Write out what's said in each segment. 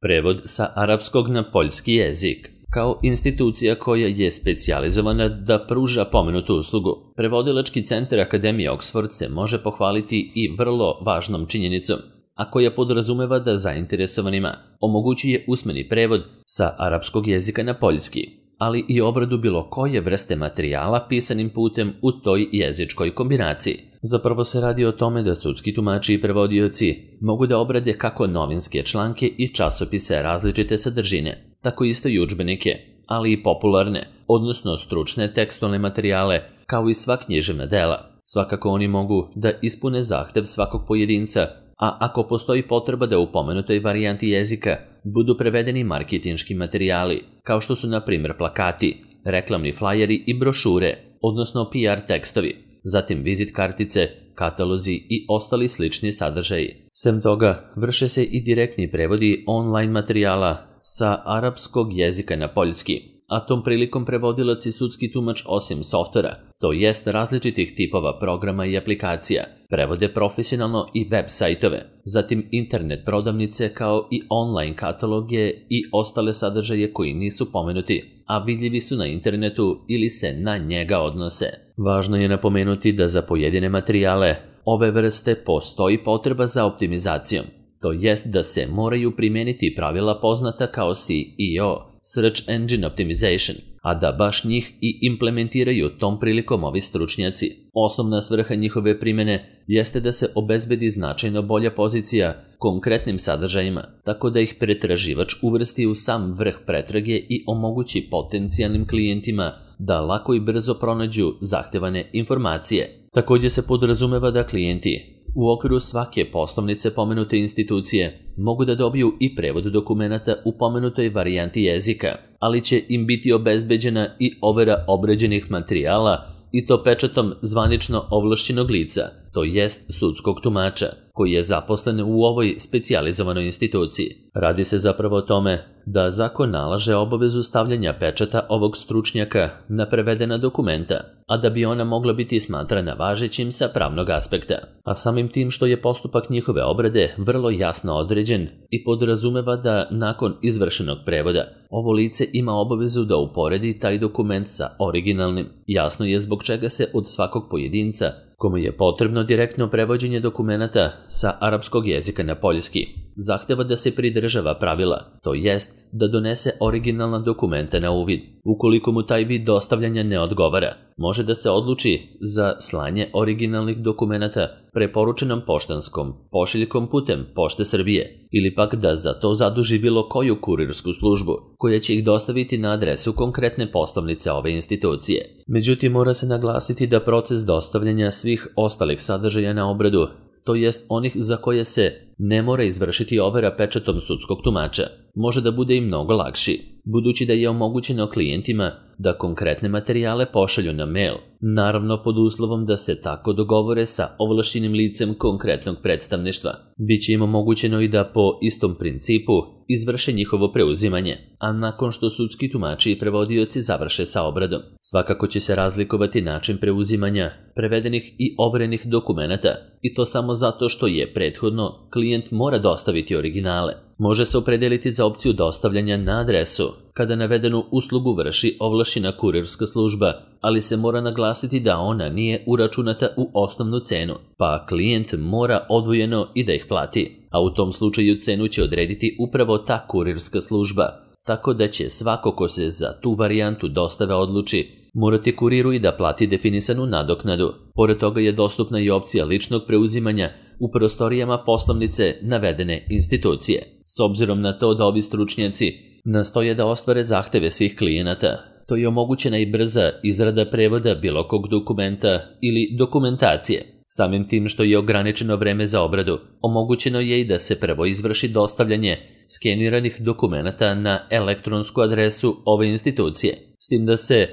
Prevod sa arapskog na poljski jezik. Kao institucija koja je specijalizovana da pruža pomenutu uslugu, Prevodilački centar Akademije Oxford se može pohvaliti i vrlo važnom činjenicom, a koja podrazumeva da zainteresovanima omogućuje usmeni prevod sa arapskog jezika na poljski, ali i obradu bilo koje vrste materijala pisanim putem u toj jezičkoj kombinaciji. Zapravo se radi o tome da sudski tumači i prevodioci mogu da obrade kako novinske članke i časopise različite sadržine, tako isto i udžbenike, ali i popularne, odnosno stručne tekstualne materijale, kao i sva književna dela. Svakako oni mogu da ispune zahtev svakog pojedinca, a ako postoji potreba da u pomenutoj varijanti jezika budu prevedeni marketinški materijali, kao što su na primjer plakati, reklamni flajeri i brošure, odnosno PR tekstovi, zatim vizit kartice, katalozi i ostali slični sadržaji. Sem toga, vrše se i direktni prevodi online materijala sa arapskog jezika na poljski, a tom prilikom prevodilac i sudski tumač osim softvera, to jest različitih tipova programa i aplikacija, prevode profesionalno i web sajtove, zatim internet prodavnice kao i online kataloge i ostale sadržaje koji nisu pomenuti, a vidljivi su na internetu ili se na njega odnose. Važno je napomenuti da za pojedine materijale ove vrste postoji potreba za optimizacijom, to jest da se moraju primijeniti pravila poznata kao SEO, Search Engine Optimization, a da baš njih i implementiraju tom prilikom ovi stručnjaci. Osnovna svrha njihove primjene jeste da se obezbedi značajno bolja pozicija konkretnim sadržajima, tako da ih pretraživač uvrsti u sam vrh pretrage i omogući potencijalnim klijentima da lako i brzo pronađu zahtevane informacije. Također se podrazumeva da klijenti u okviru svake poslovnice pomenute institucije mogu da dobiju i prevod dokumenata u pomenutoj varijanti jezika, ali će im biti obezbeđena i overa obrađenih materijala i to pečatom zvanično ovlašćenog lica, to jest sudskog tumača, koji je zaposlen u ovoj specijalizovanoj instituciji. Radi se zapravo o tome da zakon nalaže obavezu stavljanja pečata ovog stručnjaka na prevedena dokumenta, a da bi ona mogla biti smatrana važećim sa pravnog aspekta. A samim tim što je postupak njihove obrade vrlo jasno određen i podrazumeva da nakon izvršenog prevoda ovo lice ima obavezu da uporedi taj dokument sa originalnim. Jasno je zbog čega se od svakog pojedinca kome je potrebno direktno prevođenje dokumenata sa arapskog jezika na poljski zahteva da se pridržava pravila, to jest da donese originalna dokumenta na uvid. Ukoliko mu taj vid dostavljanja ne odgovara, može da se odluči za slanje originalnih dokumenata preporučenom poštanskom pošiljkom putem Pošte Srbije ili pak da za to zaduži bilo koju kurirsku službu koja će ih dostaviti na adresu konkretne poslovnice ove institucije. Međutim, mora se naglasiti da proces dostavljanja svih ostalih sadržaja na obradu, to jest onih za koje se ne mora izvršiti overa pečatom sudskog tumača, može da bude i mnogo lakši, budući da je omogućeno klijentima da konkretne materijale pošalju na mail, naravno pod uslovom da se tako dogovore sa ovlašćenim licem konkretnog predstavništva. Biće im omogućeno i da po istom principu izvrše njihovo preuzimanje, a nakon što sudski tumači i prevodioci završe sa obradom. Svakako će se razlikovati način preuzimanja prevedenih i overenih dokumenata, i to samo zato što je prethodno klijent mora dostaviti originale. Može se opredeliti za opciju dostavljanja na adresu kada navedenu uslugu vrši ovlašćena kurirska služba, ali se mora naglasiti da ona nije uračunata u osnovnu cenu, pa klijent mora odvojeno i da ih plati, a u tom slučaju cenu će odrediti upravo ta kurirska služba, tako da će svako ko se za tu varijantu dostave odluči morati kuriru i da plati definisanu nadoknadu. Pored toga je dostupna i opcija ličnog preuzimanja u prostorijama poslovnice navedene institucije. S obzirom na to da ovi stručnjaci nastoje da ostvare zahteve svih klijenata, to je omogućena i brza izrada prevoda bilo kog dokumenta ili dokumentacije. Samim tim što je ograničeno vreme za obradu, omogućeno je i da se prvo izvrši dostavljanje skeniranih dokumenata na elektronsku adresu ove institucije, s tim da se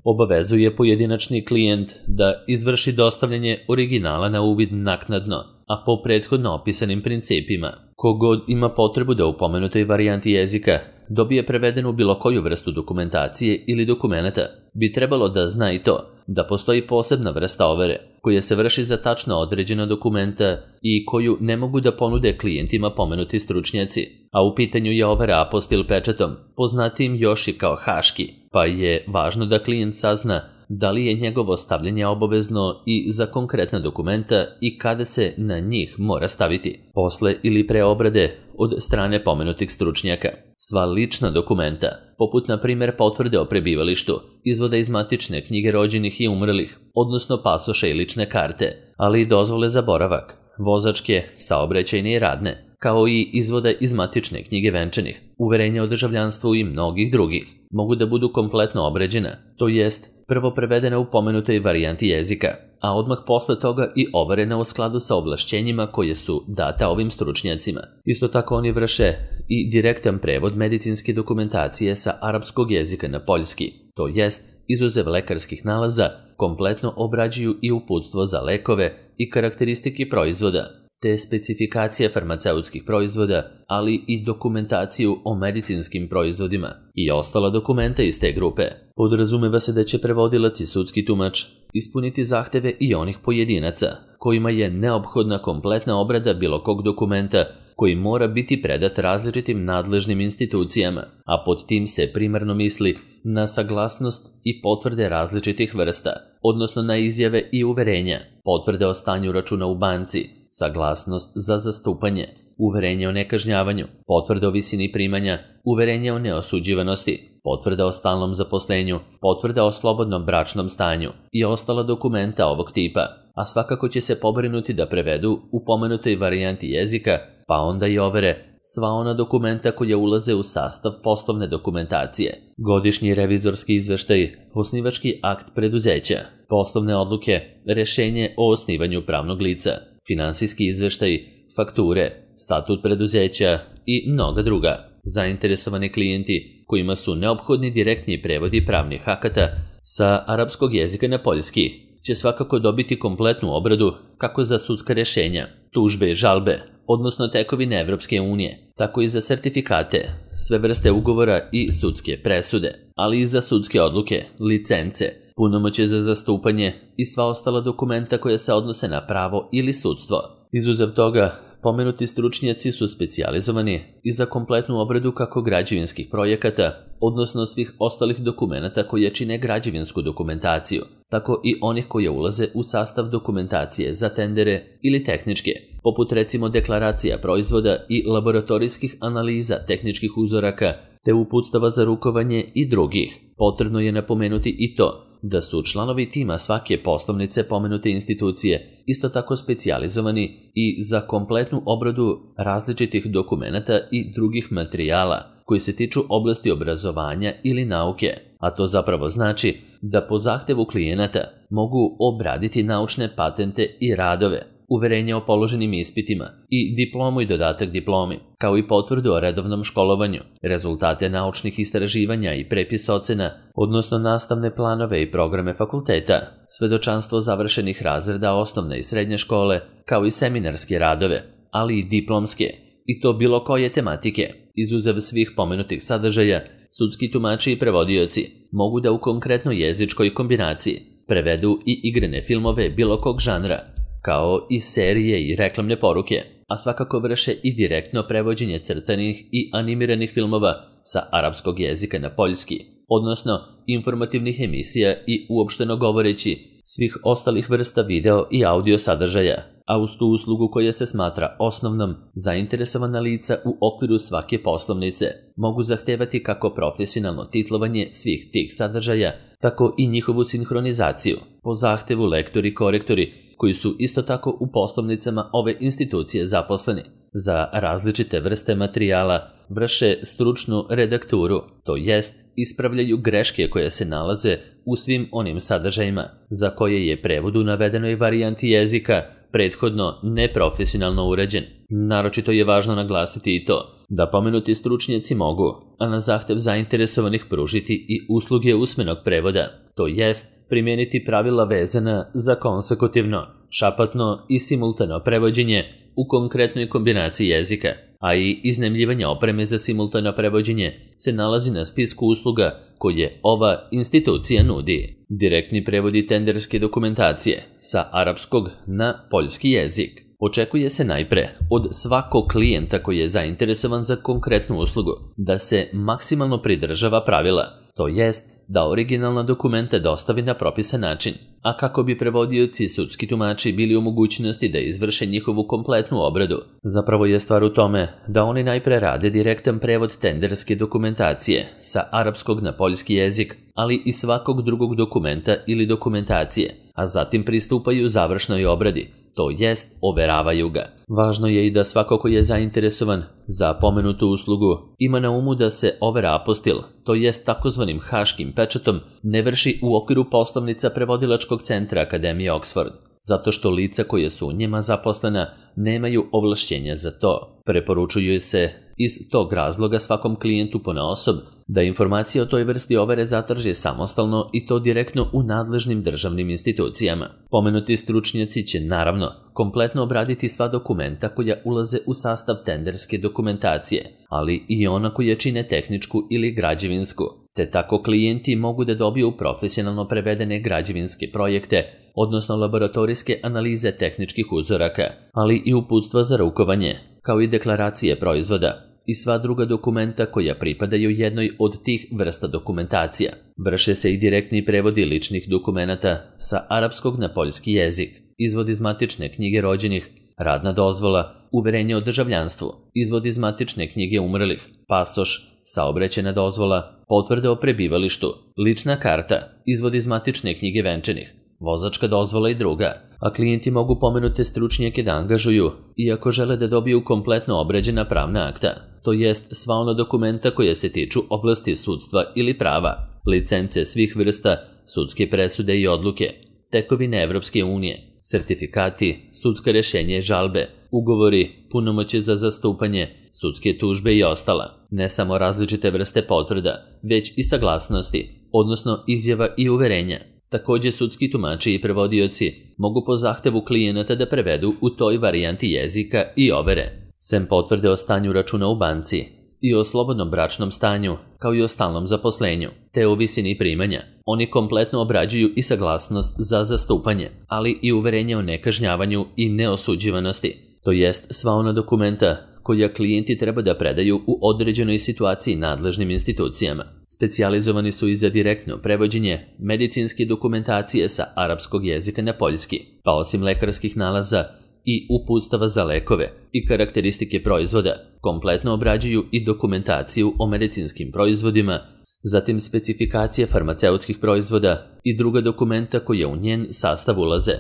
obavezuje pojedinačni klijent da izvrši dostavljanje originala na uvid naknadno, a po prethodno opisanim principima. Kogod ima potrebu da u pomenutoj varijanti jezika dobije prevedenu bilo koju vrstu dokumentacije ili dokumenata, bi trebalo da zna i to da postoji posebna vrsta overe koja se vrši za tačno određena dokumenta i koju ne mogu da ponude klijentima pomenuti stručnjaci, a u pitanju je overa apostil pečatom, poznatim još i kao haški, pa je važno da klijent sazna da li je njegovo stavljanje obavezno i za konkretna dokumenta i kada se na njih mora staviti, posle ili pre obrade od strane pomenutih stručnjaka. Sva lična dokumenta, poput na primjer potvrde o prebivalištu, izvoda iz matične knjige rođenih i umrlih, odnosno pasoše i lične karte, ali i dozvole za boravak, vozačke, saobraćajne i radne, kao i izvoda iz matične knjige venčanih, uverenja o državljanstvu i mnogih drugih, mogu da budu kompletno obrađena, to jest prvo prevedena u pomenutoj varijanti jezika, a odmah posle toga i overena u skladu sa ovlašćenjima koje su data ovim stručnjacima. Isto tako oni vrše i direktan prevod medicinske dokumentacije sa arapskog jezika na poljski, to jest izuzev lekarskih nalaza, kompletno obrađuju i uputstvo za lekove i karakteristike proizvoda, te specifikacije farmaceutskih proizvoda, ali i dokumentaciju o medicinskim proizvodima i ostala dokumenta iz te grupe. Podrazumeva se da će prevodilac i sudski tumač ispuniti zahteve i onih pojedinaca, kojima je neophodna kompletna obrada bilo kog dokumenta koji mora biti predat različitim nadležnim institucijama, a pod tim se primarno misli na saglasnost i potvrde različitih vrsta, odnosno na izjave i uverenja, potvrde o stanju računa u banci, saglasnost za zastupanje, uverenje o nekažnjavanju, potvrde o visini primanja, uverenje o neosuđivanosti, potvrda o stalnom zaposlenju, potvrda o slobodnom bračnom stanju i ostala dokumenta ovog tipa, a svakako će se pobrinuti da prevedu u pomenutoj varijanti jezika, pa onda i overe sva ona dokumenta koja ulaze u sastav poslovne dokumentacije, godišnji revizorski izveštaj, osnivački akt preduzeća, poslovne odluke, rešenje o osnivanju pravnog lica, finansijski izveštaj, fakture, statut preduzeća i mnoga druga. Zainteresovani klijenti kojima su neophodni direktni prevodi pravnih akata sa arapskog jezika na poljski će svakako dobiti kompletnu obradu kako za sudska rešenja, tužbe i žalbe, odnosno tekovine Evropske unije, tako i za sertifikate, sve vrste ugovora i sudske presude, ali i za sudske odluke, licence, punomoćje za zastupanje i sva ostala dokumenta koja se odnose na pravo ili sudstvo. Izuzev toga, pomenuti stručnjaci su specijalizovani i za kompletnu obradu kako građevinskih projekata, odnosno svih ostalih dokumenata koje čine građevinsku dokumentaciju, tako i onih koje ulaze u sastav dokumentacije za tendere ili tehničke, poput recimo deklaracija proizvoda i laboratorijskih analiza tehničkih uzoraka, te uputstava za rukovanje i drugih. Potrebno je napomenuti i to da su članovi tima svake poslovnice pomenute institucije isto tako specijalizovani i za kompletnu obradu različitih dokumenata i drugih materijala koji se tiču oblasti obrazovanja ili nauke, a to zapravo znači da po zahtevu klijenata mogu obraditi naučne patente i radove, uverenje o položenim ispitima i diplomu i dodatak diplomi, kao i potvrdu o redovnom školovanju, rezultate naučnih istraživanja i prepis ocena, odnosno nastavne planove i programe fakulteta, svedočanstvo završenih razreda osnovne i srednje škole, kao i seminarske radove, ali i diplomske, i to bilo koje tematike. Izuzev svih pomenutih sadržaja, sudski tumači i prevodioci mogu da u konkretnoj jezičkoj kombinaciji prevedu i igrane filmove bilo kog žanra, kao i serije i reklamne poruke, a svakako vrše i direktno prevođenje crtanih i animiranih filmova sa arapskog jezika na poljski, odnosno informativnih emisija i uopšteno govoreći svih ostalih vrsta video i audio sadržaja, a uz tu uslugu koja se smatra osnovnom, zainteresovana lica u okviru svake poslovnice mogu zahtevati kako profesionalno titlovanje svih tih sadržaja, tako i njihovu sinhronizaciju, po zahtevu lektori i korektori, koji su isto tako u poslovnicama ove institucije zaposleni. Za različite vrste materijala vrše stručnu redakturu, to jest ispravljaju greške koje se nalaze u svim onim sadržajima za koje je prevod u navedenoj varijanti jezika prethodno neprofesionalno urađen. Naročito je važno naglasiti i to da pomenuti stručnjaci mogu, a na zahtev zainteresovanih, pružiti i usluge usmenog prevoda, to jest primijeniti pravila vezana za konsekutivno, šapatno i simultano prevođenje u konkretnoj kombinaciji jezika, a i iznajmljivanje opreme za simultano prevođenje se nalazi na spisku usluga koje ova institucija nudi. Direktni prevodi tenderske dokumentacije sa arapskog na poljski jezik. Očekuje se najpre od svakog klijenta koji je zainteresovan za konkretnu uslugu da se maksimalno pridržava pravila, to jest da originalna dokumenta dostavi na propisan način, a kako bi prevodioci i sudski tumači bili u mogućnosti da izvrše njihovu kompletnu obradu. Zapravo je stvar u tome da oni najpre rade direktan prevod tenderske dokumentacije sa arapskog na poljski jezik, ali i svakog drugog dokumenta ili dokumentacije, a zatim pristupaju završnoj obradi, to jest overavaju ga. Važno je i da svako ko je zainteresovan za pomenutu uslugu ima na umu da se overa apostil, to jest takozvanim haškim pečatom, ne vrši u okviru poslovnica prevodilačkog centra Akademije Oxford, zato što lica koje su u njima zaposlena nemaju ovlašćenja za to. Preporučuje se iz tog razloga svakom klijentu ponaosob da informacije o toj vrsti overe zatraži samostalno i to direktno u nadležnim državnim institucijama. Pomenuti stručnjaci će naravno kompletno obraditi sva dokumenta koja ulaze u sastav tenderske dokumentacije, ali i ona koja čine tehničku ili građevinsku, te tako klijenti mogu da dobiju profesionalno prevedene građevinske projekte, odnosno laboratorijske analize tehničkih uzoraka, ali i uputstva za rukovanje, kao i deklaracije proizvoda i sva druga dokumenta koja pripadaju jednoj od tih vrsta dokumentacija. Vrše se i direktni prevodi ličnih dokumenata sa arapskog na poljski jezik, izvod iz matične knjige rođenih, radna dozvola, uverenje o državljanstvu, izvod iz matične knjige umrlih, pasoš, saobraćajna dozvola, potvrde o prebivalištu, lična karta, izvod iz matične knjige venčanih, vozačka dozvola i druga, a klijenti mogu pomenute stručnjake da angažuju iako žele da dobiju kompletno obrađena pravna akta, to jest sva ona dokumenta koja se tiču oblasti sudstva ili prava, licence svih vrsta, sudske presude i odluke, tekovine Evropske unije, sertifikati, sudska rešenja i žalbe, ugovori, punomoćje za zastupanje, sudske tužbe i ostala, ne samo različite vrste potvrda, već i saglasnosti, odnosno izjava i uverenja. Takođe, sudski tumači i prevodioci mogu po zahtevu klijenata da prevedu u toj varijanti jezika i overe. Sem potvrde o stanju računa u banci i o slobodnom bračnom stanju, kao i o stalnom zaposlenju, te o visini primanja, oni kompletno obrađuju i saglasnost za zastupanje, ali i uverenje o nekažnjavanju i neosuđivanosti, to jest sva ona dokumenta koja klijenti treba da predaju u određenoj situaciji nadležnim institucijama. Specijalizovani su i za direktno prevođenje medicinske dokumentacije sa arapskog jezika na poljski, pa osim lekarskih nalaza i uputstava za lekove i karakteristike proizvoda, kompletno obrađuju i dokumentaciju o medicinskim proizvodima, zatim specifikacije farmaceutskih proizvoda i druga dokumenta koja u njen sastav ulaze.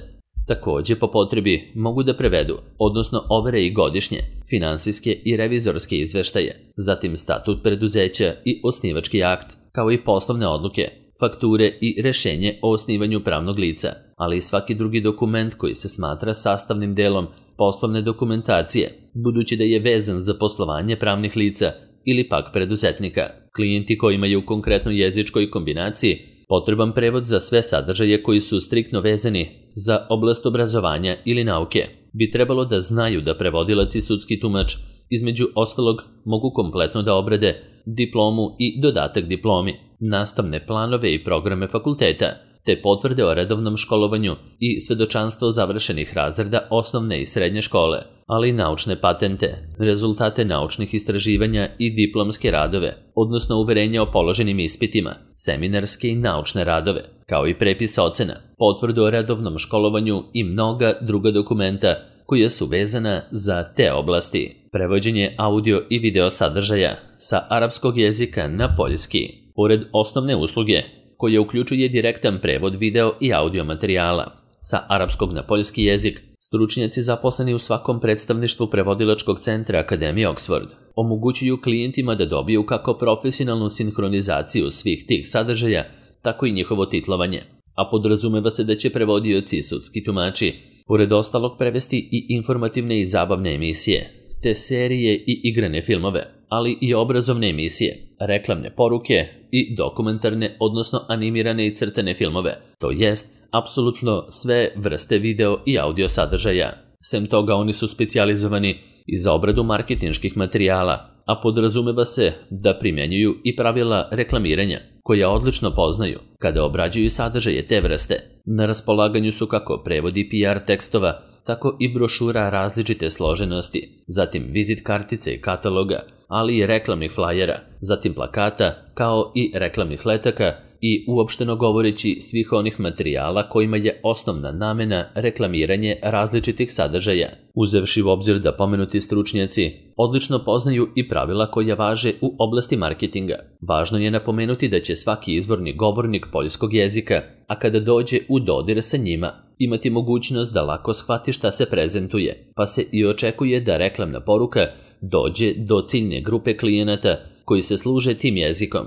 Takođe, po potrebi mogu da prevedu, odnosno overe i godišnje, finansijske i revizorske izveštaje, zatim statut preduzeća i osnivački akt, kao i poslovne odluke, fakture i rešenje o osnivanju pravnog lica, ali i svaki drugi dokument koji se smatra sastavnim delom poslovne dokumentacije, budući da je vezan za poslovanje pravnih lica ili pak preduzetnika. Klijenti koji imaju u konkretnoj jezičkoj kombinaciji potreban prevod za sve sadržaje koji su striktno vezani za oblast obrazovanja ili nauke, bi trebalo da znaju da prevodilac i sudski tumač između ostalog mogu kompletno da obrade diplomu i dodatak diplomi, nastavne planove i programe fakulteta, te potvrde o redovnom školovanju i svedočanstvo završenih razreda osnovne i srednje škole, ali i naučne patente, rezultate naučnih istraživanja i diplomske radove, odnosno uverenja o položenim ispitima, seminarske i naučne radove, kao i prepis ocena, potvrdu o redovnom školovanju i mnoga druga dokumenta koja su vezana za te oblasti. Prevođenje audio i video sadržaja sa arapskog jezika na poljski. Pored osnovne usluge, koja uključuje direktan prevod video i audio materijala sa arapskog na poljski jezik, stručnjaci zaposleni u svakom predstavništvu prevodilačkog centra Akademije Oxford omogućuju klijentima da dobiju kako profesionalnu sinhronizaciju svih tih sadržaja, tako i njihovo titlovanje, a podrazumeva se da će prevodioci i sudski tumači pored ostalog prevesti i informativne i zabavne emisije, te serije i igrane filmove, ali i obrazovne emisije, reklamne poruke i dokumentarne, odnosno animirane i crtane filmove, to jest apsolutno sve vrste video i audio sadržaja. Sem toga, oni su specijalizovani i za obradu marketinških materijala, a podrazumeva se da primjenjuju i pravila reklamiranja, koja odlično poznaju kada obrađuju sadržaje te vrste. Na raspolaganju su kako prevodi PR tekstova, tako i brošura različite složenosti, zatim vizit kartice i kataloga, ali i reklamnih flajera, zatim plakata, kao i reklamnih letaka i uopšteno govoreći svih onih materijala kojima je osnovna namena reklamiranje različitih sadržaja. Uzevši u obzir da pomenuti stručnjaci odlično poznaju i pravila koja važe u oblasti marketinga, važno je napomenuti da će svaki izvorni govornik poljskog jezika, a kada dođe u dodir sa njima, imati mogućnost da lako shvati šta se prezentuje, pa se i očekuje da reklamna poruka dođe do ciljne grupe klijenata koji se služe tim jezikom.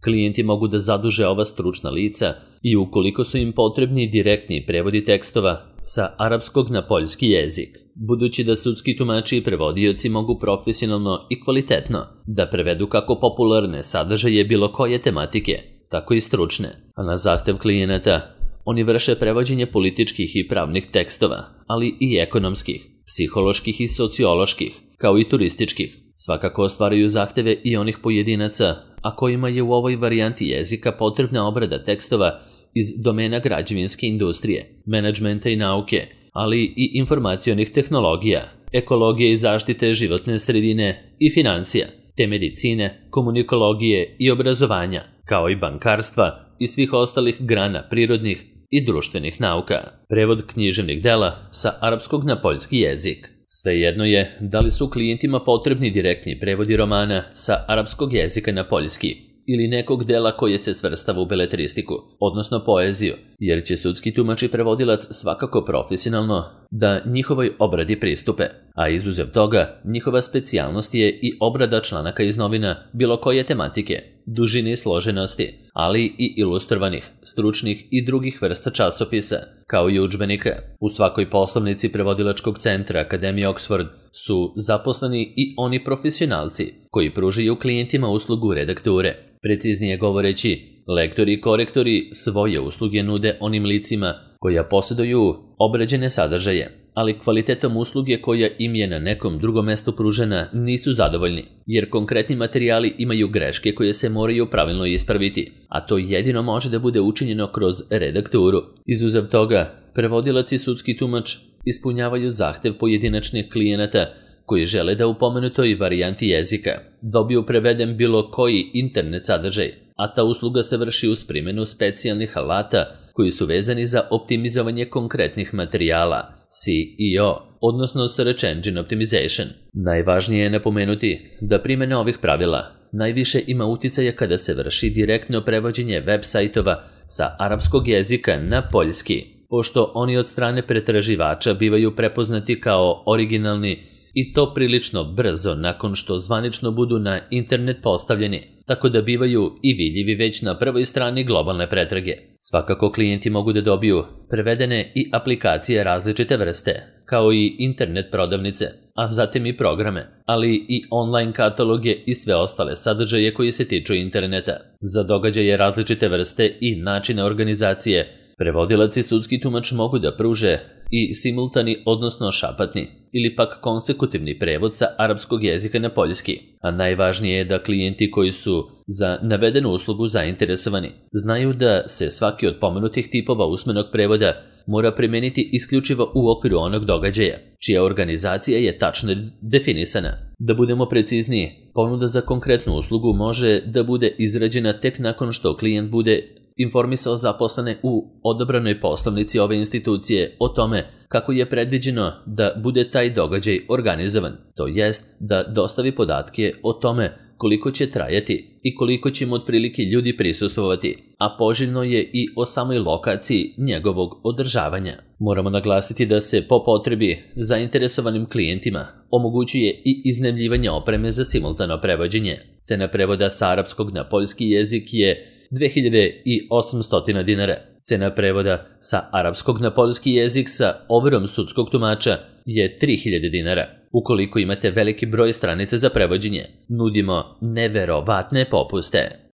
Klijenti mogu da zaduže ova stručna lica i ukoliko su im potrebni direktni prevodi tekstova sa arapskog na poljski jezik, budući da sudski tumači i prevodioci mogu profesionalno i kvalitetno da prevedu kako popularne sadržaje bilo koje tematike, tako i stručne, a na zahtev klijenata oni vrše prevođenje političkih i pravnih tekstova, ali i ekonomskih, psiholoških i socioloških, kao i turističkih. Svakako ostvaraju zahteve i onih pojedinaca, a kojima je u ovoj varijanti jezika potrebna obrada tekstova iz domena građevinske industrije, menadžmenta i nauke, ali i informacionih tehnologija, ekologije i zaštite životne sredine i financija, te medicine, komunikologije i obrazovanja, kao i bankarstva i svih ostalih grana prirodnih i društvenih nauka. Prevod književnih dela sa arapskog na poljski jezik. Svejedno je da li su klijentima potrebni direktni prevodi romana sa arapskog jezika na poljski ili nekog dela koje se svrstava u beletristiku, odnosno poeziju, jer će sudski tumač i prevodilac svakako profesionalno da njihovoj obradi pristupe, a izuzev toga njihova specijalnost je i obrada članaka iz novina bilo koje tematike, dužine i složenosti, ali i ilustrovanih, stručnih i drugih vrsta časopisa, kao i udžbenika. U svakoj poslovnici prevodilačkog centra Akademije Oxford su zaposleni i oni profesionalci koji pružaju klijentima uslugu redakture. Preciznije govoreći, lektori i korektori svoje usluge nude onim licima koja posjeduju obrađene sadržaje, ali kvalitetom usluge koja im je na nekom drugom mestu pružena nisu zadovoljni, jer konkretni materijali imaju greške koje se moraju pravilno ispraviti, a to jedino može da bude učinjeno kroz redakturu. Izuzev toga, prevodilac i sudski tumač ispunjavaju zahtev pojedinačnih klijenata koji žele da u pomenutoj varijanti jezika dobiju preveden bilo koji internet sadržaj, a ta usluga se vrši uz primjenu specijalnih alata koji su vezani za optimizovanje konkretnih materijala, SEO, odnosno Search Engine Optimization. Najvažnije je napomenuti da primjena ovih pravila najviše ima uticaja kada se vrši direktno prevođenje web sajtova sa arapskog jezika na poljski, pošto oni od strane pretraživača bivaju prepoznati kao originalni i to prilično brzo nakon što zvanično budu na internet postavljeni, tako da bivaju i vidljivi već na prvoj strani globalne pretrage. Svakako klijenti mogu da dobiju prevedene i aplikacije različite vrste, kao i internet prodavnice, a zatim i programe, ali i online kataloge i sve ostale sadržaje koji se tiču interneta. Za događaje različite vrste i načine organizacije, prevodilac i sudski tumač mogu da pruže i simultani, odnosno šapatni, ili pak konsekutivni prevod sa arapskog jezika na poljski, a najvažnije je da klijenti koji su za navedenu uslugu zainteresovani znaju da se svaki od pomenutih tipova usmenog prevoda mora primeniti isključivo u okviru onog događaja, čija organizacija je tačno definisana. Da budemo precizniji, ponuda za konkretnu uslugu može da bude izrađena tek nakon što klijent bude informisao zaposlene u odobranoj poslovnici ove institucije o tome kako je predviđeno da bude taj događaj organizovan, to jest da dostavi podatke o tome koliko će trajati i koliko će mu otprilike ljudi prisustvovati, a poželjno je i o samoj lokaciji njegovog održavanja. Moramo naglasiti da se po potrebi zainteresovanim klijentima omogućuje i iznajmljivanje opreme za simultano prevođenje. Cena prevoda sa arapskog na poljski jezik je 2800 dinara. Cena prevoda sa arapskog na poljski jezik sa overom sudskog tumača je 3000 dinara. Ukoliko imate veliki broj stranica za prevođenje, nudimo neverovatne popuste.